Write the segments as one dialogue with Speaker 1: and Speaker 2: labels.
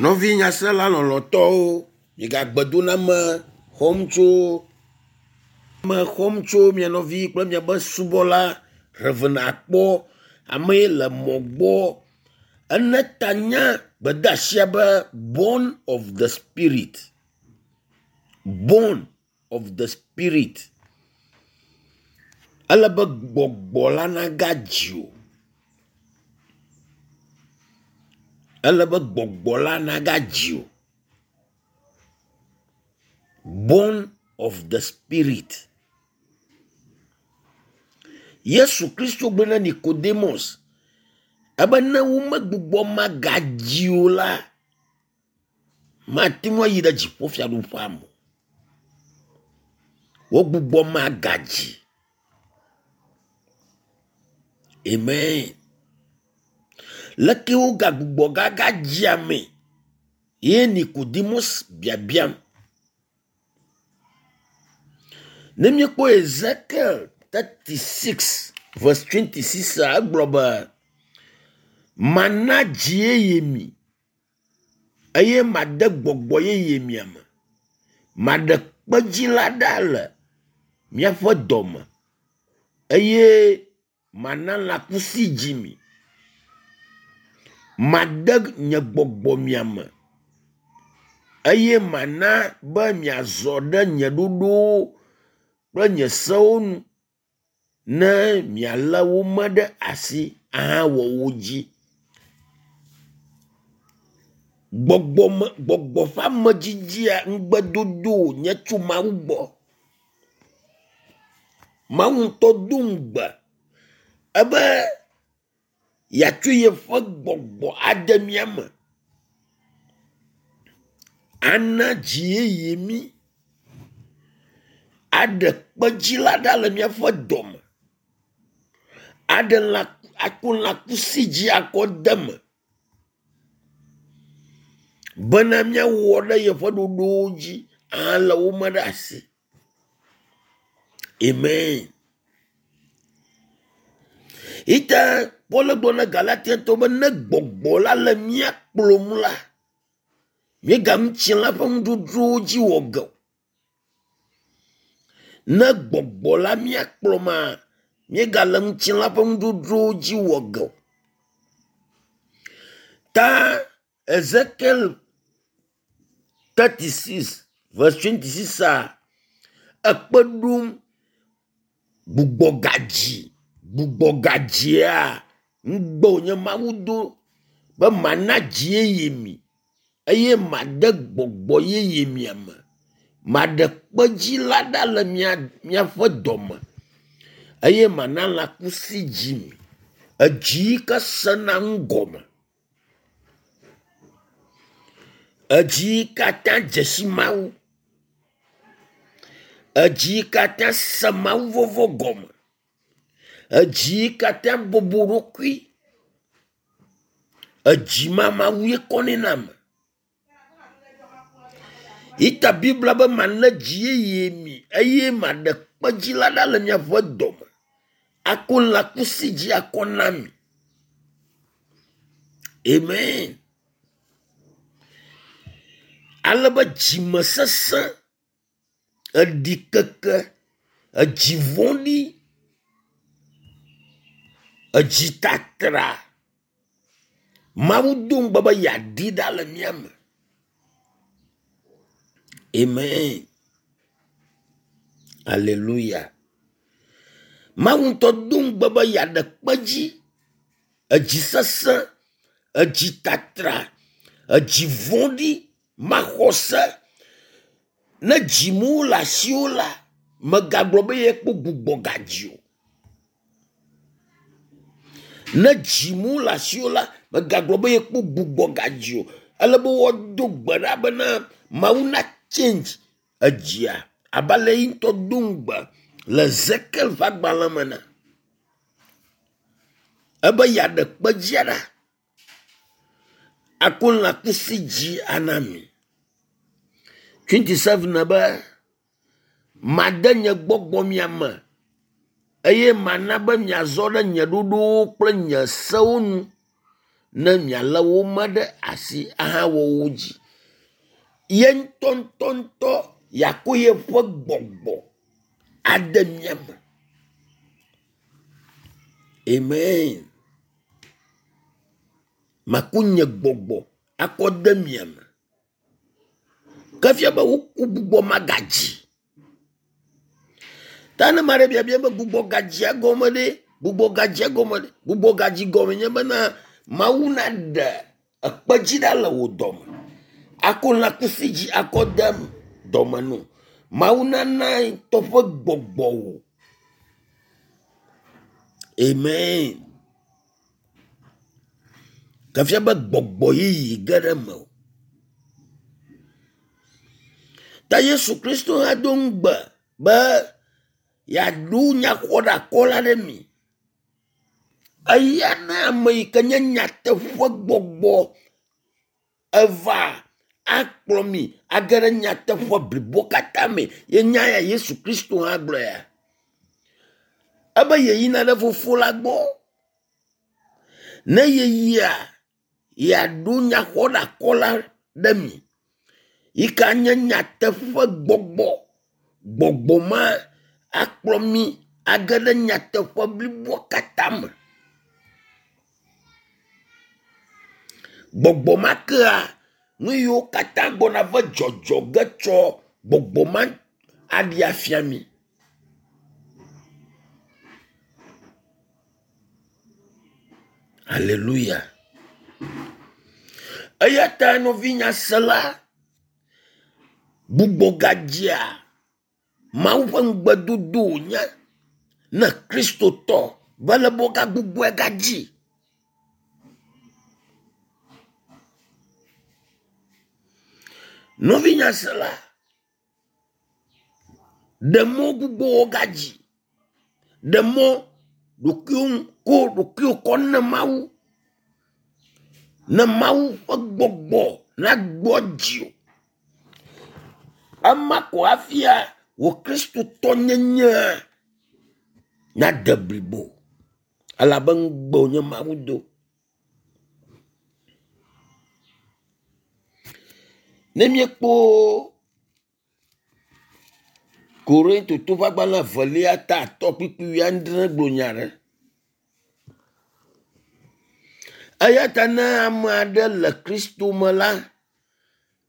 Speaker 1: Nɔvi nyasela lɔlɔ̃tɔwo, migagbedoname xɔm tso me xɔm tso mia nɔvi kple miaƒe subɔla Rev. Akpɔ. Ame ye le mɔ gbɔ. Ene ta nye gbedeasia be born of the spirit. Born of the spirit. Ele be gbɔgbɔ la nagadzi wò. Ele be gbɔgbɔ la nagadzi wò. Born of the spirit. Yesu Kristo gblɔ na Nicodemus ebe ne womegbugbɔ magadzi o la, mate ŋu ayi ɖe dziƒofiaɖuƒea me o. Wogbugbɔ magadzi. Amen. Leke wogagbugbɔ gagadzi ame ye Nicodemus biabiam. Ne míekpɔ Ezekiel 36 verse 26 egblɔ be mana dzi yeye mi eye made gbɔgbɔ yeye mia me. Maɖe kpedzi la ɖa le miaƒe dɔme eye mana lãkusi dzi mi. Made nye gbɔgbɔ mia me eye mana be miazɔ ɖe nye ɖoɖowo kple nye sewo nu ne mialé wo me ɖe asi ahawɔ wo dzi. Gbɔgbɔme gbɔgbɔ ƒe amedzidzia ŋugbedodo wònye tso Mawu gbɔ. Mawu ŋutɔ do ŋugbe ebe yeatsɔ yeƒe gbɔgbɔ ade mía me. Ana dzi yeye mí. Aɖe kpedzi la ɖa le míaƒe dɔme. Aɖe lã ako lãkusi dzi akɔ de eme bena míawɔ ɖe yeƒe ɖoɖowo dzi ahalé wo me ɖe asi. Amen. Ite Paul gblɔ na Galatiatɔwo be ne gbɔgbɔ la le mía kplɔm la, míega ŋutilã ƒe nuɖuɖuwo dzi wɔ ge o. Ne gbɔgbɔ la mía kplɔma, míegale ŋutilã ƒe nuɖuɖuwo dzi wɔ ge o. Ta Ezekiel 36 verse 26 a ekpe ɖom gbugbɔgadzi gbugbɔgadzia ŋugbe wònye Mawu do be mana dzi yeye mi eye made gbɔgbɔ yeye mia me. Maɖe kpedzi la ɖa le mia miaƒe dɔme eye mana lãkusi dzi mi. Edzi yi ke sena nu gɔme. Edzi yi katã dze si Mawu. Edzi yi katã se Mawu vɔvɔ gɔme. Edzi yi katã bɔbɔ ɖokui. Edzi ma Mawu ye kɔnɛ na ame. Ita Biblia be mana dzi yeye mi eye maɖe kpedzi la ɖa le miaƒe dɔme. Ako lãkusi dzi akɔ na mi. Amen. Ale be dzimesesẽ, eɖikeke, edzi vɔ̃ɖi, edzitatra. Mawu do ŋugbe be yeaɖi ɖa le mía me. Amen. Aleluya. Mawu ŋutɔ do ŋugbe be yeaɖe kpedzi, edzi sesẽ, edzitatra, edzi vɔ̃ɖi, maxɔse. Ne dzimewo le asiwò la, mègagblɔ be yekpɔ gbugbɔgadzi o. Ne dzimewo le asiwò la, mègagblɔ be yekpɔ gbugbɔgadzi o. Ele be woado gbe ɖa bena Mawu na change edzia abe ale yi ŋutɔ do ŋugbe le Ezekiel ƒe agbalẽ me ene. Ebe yeaɖe kpedzia ɖa ako lãkusi dzi ana mi. 27 be made nye gbɔgbɔ mia me eye mana be miazɔ ɖe nye ɖoɖowo kple nye sewo nu. ne mialé wo me ɖe asi ahawɔ wo dzi. Ye ŋutɔŋutɔŋutɔ yeako yeƒe gbɔgbɔ ade mia me. Amen. Maku nye gbɔgbɔ akɔ de mia me. Ke fia be woku gbugbɔ magadzi. Ta ne ame aɖe biabia be gbugbɔ gadzia gɔme ɖe, gbugbɔ gadzia gɔme ɖe, gbugbɔ gadzi gɔme nye bena Mawu naɖe ekpe dzi ɖa le wò dɔme. Ako lãkusi dzi akɔ de dɔme no. Mawu nana ŋutɔ ƒe gbɔgbɔ wò. Amen. Ke fia be gbɔgbɔ yeye ge ɖe mewò. Ta Yesu Kristo hã do ŋugbe be yeaɖo nyaxɔɖakɔla ɖe mi. Eya na ame yi ke nye nyateƒe gbɔgbɔ eva akplɔ mi age ɖe nyateƒe blibo katã me. Ye nya ya Yesu Kristo hã gblɔ ya. Ebe yeyina ɖe fofo la gbɔ. Ne yeyia, yeaɖo nyaxɔɖakɔla ɖe mi yi ke nye nyateƒe gbɔgbɔ. Gbɔgbɔ ma akplɔ mi age ɖe nyateƒe bliboa katã me. Gbɔgbɔ ma kea nu yiwo katã gbɔna va dzɔdzɔ ge tsɔ gbɔgbɔ ma aɖi afia mi. Aleluya. Eya ta nɔvinyasela, gbugbɔgadzea Mawu ƒe ŋugbedodo wònye ne Kristotɔ be ele be woagagbugbɔe gadzi. Nɔvinyasela, ɖe mɔ gbugbɔ gadzi. Ɖe mɔ ɖokuiwo ko ɖokuiwò kɔ ne Mawu. Ne Mawu ƒe gbɔgbɔ nagbɔ dziwò. Ema ko afia wò Kristotɔnyenye nade blibo elabe ŋugbe wònye Mawu do. Ne míekpɔ Korintoto ƒe agbalẽ evelia ta atɔ kpukpui wuiadre gblɔ nya ɖe. Eya ta ne ame aɖe le Kristo me la,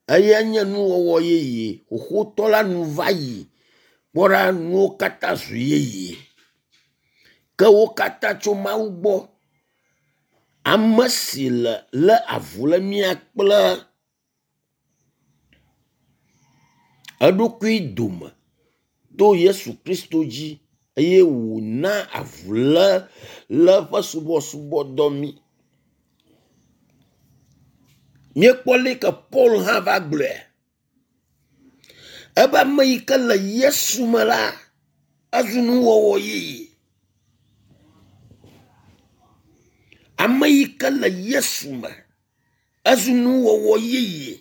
Speaker 1: eya nye nuwɔwɔ yeye. Xoxotɔ la nu va yi. Kpɔ ɖa nuwo katã zu yeye. Ke wo katã tso Mawu gbɔ. Ame si le lé avu le mía kple eɖokui dome to Yesu Kristo dzi eye wòna avuléle ƒe subɔsubɔdɔ mí. Míekpɔ leke Paul hã va gblɔe. Ebe ame yi ke le Yesu me la, ezu nuwɔwɔ yeye. Ame yi ke le Yesu me, ezu nuwɔwɔ yeye.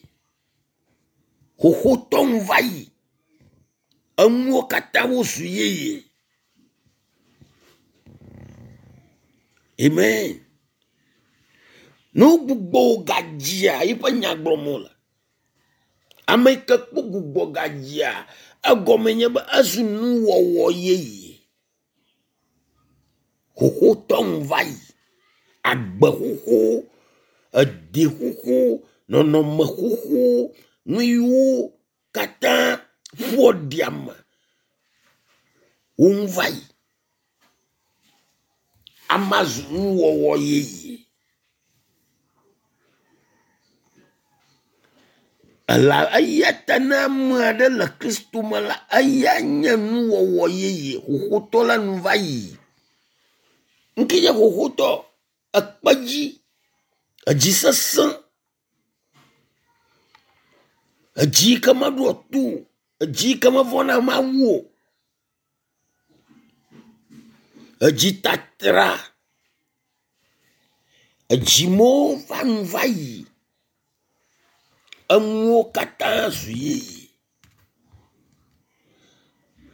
Speaker 1: Xoxotɔ nu va yi. Enuwo katã wozu yeye. Amen. Ne wogbugbɔ wò gadzia eƒe nya gblɔm wole. Ame yi ke kpɔ gbugbɔ gadzia, egɔme nye be ezu nuwɔwɔ yeye. Xoxotɔ nu va yi. Agbe xoxo, edi xoxo, nɔnɔme xoxo, nu yiwo katã ƒoa ɖi ame wo ŋu va yi. Amea zu nuwɔwɔ yeye. Ela eya ta ne ame aɖe le Kristo me la, eya nye nuwɔwɔ yeye. Xoxotɔ la nu va yi. Ŋke nye xoxotɔ ekpe dzi, edzi sesẽ, edzi yi ke meɖoa to o, edzi yi ke mevɔ̃na Mawu o, edzi tatra, edzi mewo va nu va yi. Enuwo katã zu yeye.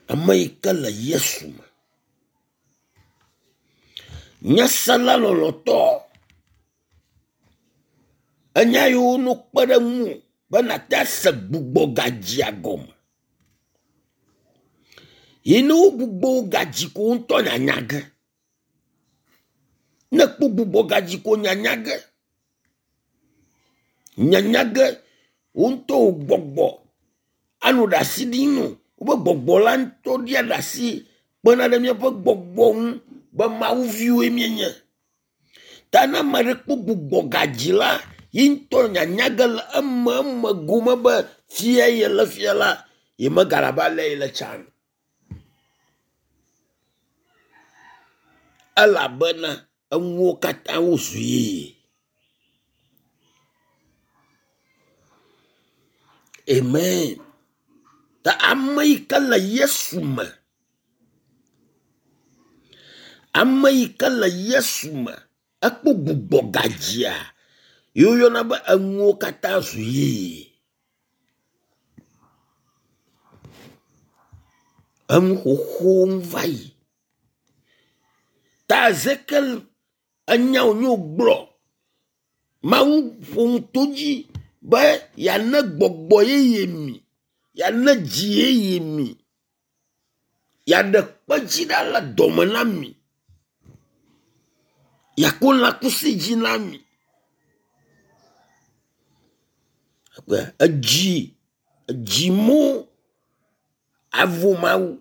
Speaker 1: Ame yi ke le Yesu me. Nyasela lɔlɔ̃tɔ. Enya yiwo no kpe ɖe ŋuwò be nàte ase gbugbɔgadzia gɔme. Yi ne wogbugbɔ wò gadzi ko wò ŋutɔ nyanya ge. Ne kpɔ gbugbɔgadzi ko nyanya ge. Nyanya ge wò ŋutɔ wò gbɔgbɔ anɔ ɖasi ɖim no. Wobe gbɔgbɔ la ŋutɔ ɖia ɖasi kpena ɖe míaƒe gbɔgbɔ ŋu be Mawu viwoe míenye. Ta ne ame aɖe kpɔ gbugbɔgadzi la, yi ŋutɔ nyanya ge le eme eme gome be fia yele fia la, yemegale abe ale yele tsã o. Elabena enuwo katã wozu yeye. Amen. Ta ame yi ke le Yesu me, ame yi ke le Yesu me, ekpɔ gbugbɔgadzia yi woyɔna be enuwo katã zu yeye. Enu xoxowo nu va yi. Ta Ezekiel enya wònye wògblɔ. Mawu ƒo nu to dzi be yeana gbɔgbɔ yeye mi, yeana dzi yeye mi, yeaɖe kpedzi ɖa le dɔme na mi, yeako lãkusi dzi na mi. Edzi, edzi mo avo Mawu,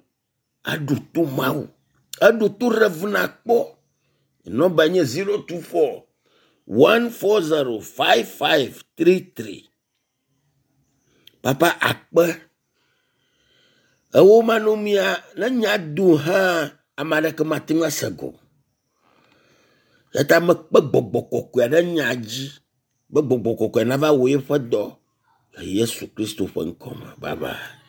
Speaker 1: aɖo to Mawu, eɖo to Rev. Akpɔ. Nɔmba nye 024 140 5533. Papa akpe. Ewo manɔmia ne nya do hã ame aɖeke mate ŋu ase gɔme. Eya ta mekpe gbɔgbɔ kɔkɔea ɖe nya dzi be gbɔgbɔ kɔkɔea nava wɔ eƒe dɔ le Yesu Kristo ƒe ŋkɔ me. Bye bye.